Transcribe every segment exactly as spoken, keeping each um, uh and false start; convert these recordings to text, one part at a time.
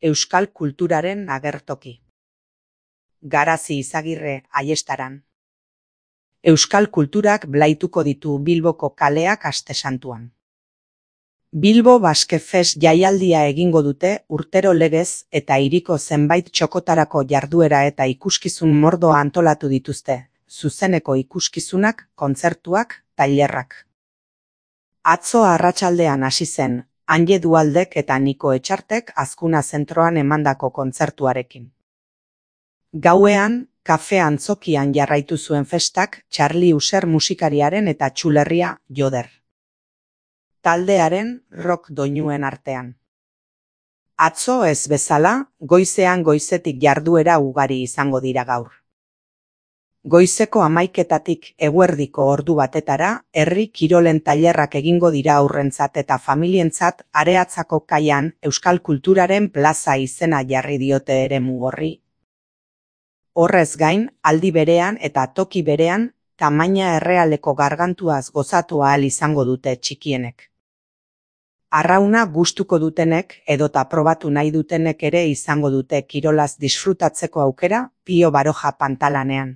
Euskal kulturaren agertoki. Garazi Izagirre, Aiestaran. Euskal kulturak blaituko ditu Bilboko kaleak aste santuan. Bilbo Basque Fest jaialdia egingo dute urtero legez eta hiriko zenbait txokotarako jarduera eta ikuskizun mordoa antolatu dituzte, zuzeneko ikuskizunak, kontzertuak, tailerrak. Atzo arratsaldean hasi zen, Anje Dualdek eta Niko Etxartek Azkuna zentroan emandako kontzertuarekin. Gauean, kafe antzokian jarraitu zuen festak Charlie User musikariaren eta Txulerria Joder taldearen rock doinuen artean. Atzo ez bezala, goizean goizetik jarduera ugari izango dira gaur. Goizeko hamaiketatik eguerdiko ordu batetara, herri kirolen tailerrak egingo dira aurrentzat eta familientzat Areatzako kaian Euskal Kulturaren plaza izena jarri diote eremu horri. Horrez gain, aldi berean eta toki berean, tamaina errealeko gargantuaz gozatu ahal izango dute txikienek. Arrauna gustuko dutenek edota probatu nahi dutenek ere izango dute kirolaz disfrutatzeko aukera Pio Baroja pantalanean.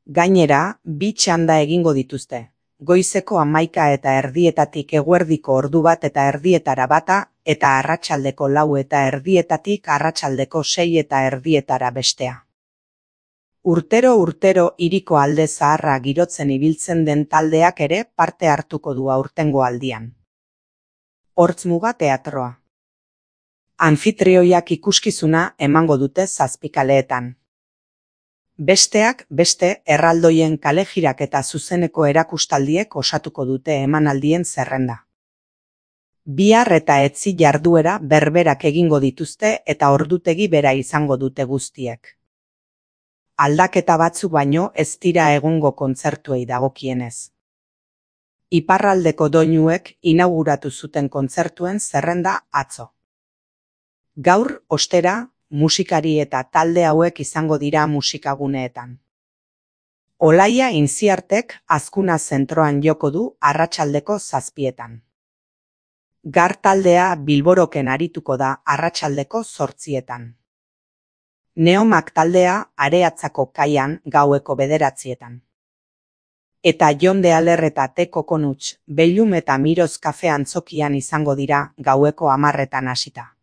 Gainera, bi txanda egingo dituzte, goizeko hamaika eta erdietatik eguerdiko ordu bat eta erdietara bata, eta arratsaldeko lau eta erdietatik arratsaldeko sei eta erdietara bestea. Urtero urtero hiriko alde zaharra girotzen ibiltzen den taldeak ere parte hartuko du aurtengo aldian. Hortzmuga teatroa. Anfitrioiak ikuskizuna emango dute zazpikaleetan. Besteak beste erraldoien kalejirak eta zuzeneko erakustaldiek osatuko dute emanaldien zerrenda. Bihar eta etzi jarduera berberak egingo dituzte eta ordutegi bera izango dute guztiek. Aldaketa batzu baino ez dira egungo kontzertuei dagokienez. Iparraldeko doinuek inauguratu zuten kontzertuen zerrenda atzo. Gaur, ostera, musikari eta talde hauek izango dira musikaguneetan. Olaia Inziartek Azkuna zentroan joko du arratsaldeko zazpietan. Gar taldea Bilboroken arituko da arratsaldeko zortzietan. Neomak taldea Areatzako kaian gaueko bederatzietan. Eta Jon de Aler eta Te Kokonuts, Bellum eta Miroz kafe antzokian izango dira gaueko hamarretan hasita.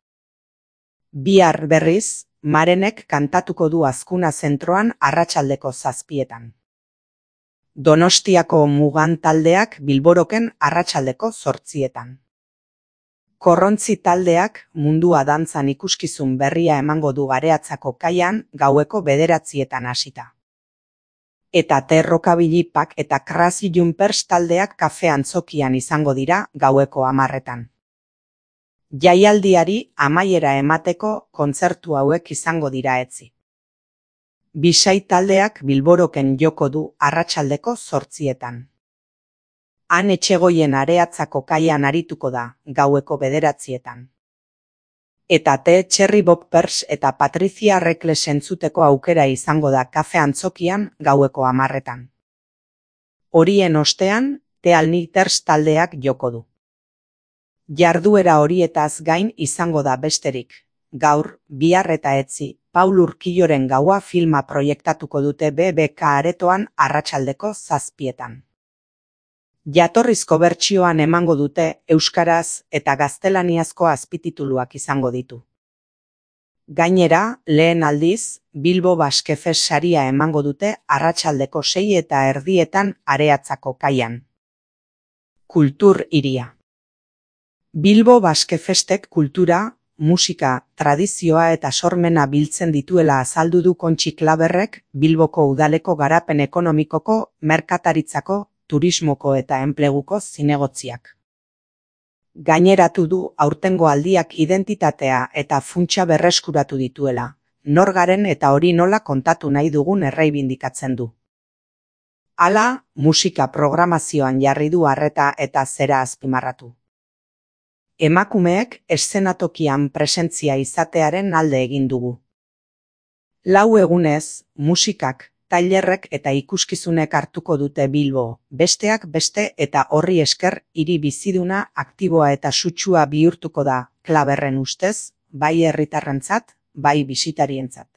Bihar berriz, Marenek kantatuko du Azkuna zentroan arratsaldeko zazpietan. Donostiako Mugan taldeak Bilboroken arratsaldeko zortzietan. Korrontzi taldeak Mundua dantzan ikuskizun berria emango du Areatzako kaian gaueko bederatzietan hasita. Eta Terrokabilipak eta Crazy Jumpers taldeak kafe antzokian izango dira gaueko hamarretan. Jaialdiari amaiera emateko kontzertu hauek izango dira etzi. Bisai taldeak Bilboroken joko du arratsaldeko zortzietan. Han Etxegoien Areatzako kaian arituko da gaueko bederatzietan. Eta Te Cherry Boppers eta Patricia Reckless entzuteko aukera izango da kafe antzokian gaueko hamarretan. Horien ostean, The Alniters taldeak joko du. Jarduera horietaz gain izango da besterik. Gaur, bihar eta etzi, Paul Urquilloren gaua filma proiektatuko dute B B K aretoan arratsaldeko zazpietan. Jatorrizko bertsioan emango dute euskaraz eta gaztelaniazko azpitituluak izango ditu. Gainera, lehen aldiz, Bilbo Basque Fest saria emango dute arratsaldeko sei eta erdietan Areatzako kaian. Kultur hiria. Bilbo Basque Festek kultura, musika, tradizioa eta sormena biltzen dituela azaldu du Kontxi Klaberrek Bilboko udaleko garapen ekonomikoko, merkataritzako, turismoko eta enpleguko zinegotziak. Gaineratu du aurtengo aldiak identitatea eta funtsa berreskuratu dituela, nor garen eta hori nola kontatu nahi dugun erreibindikatzen du. Hala, musika programazioan jarri du arreta eta zera azpimarratu. Emakumeek eszenatokian presentzia izatearen alde egin dugu. Lau egunez, musikak, tailerrek eta ikuskizunek hartuko dute Bilbo, besteak beste eta horri esker hiri biziduna, aktiboa eta sutsua bihurtuko da, Klaberren ustez, bai herritarrentzat, bai bisitarientzat.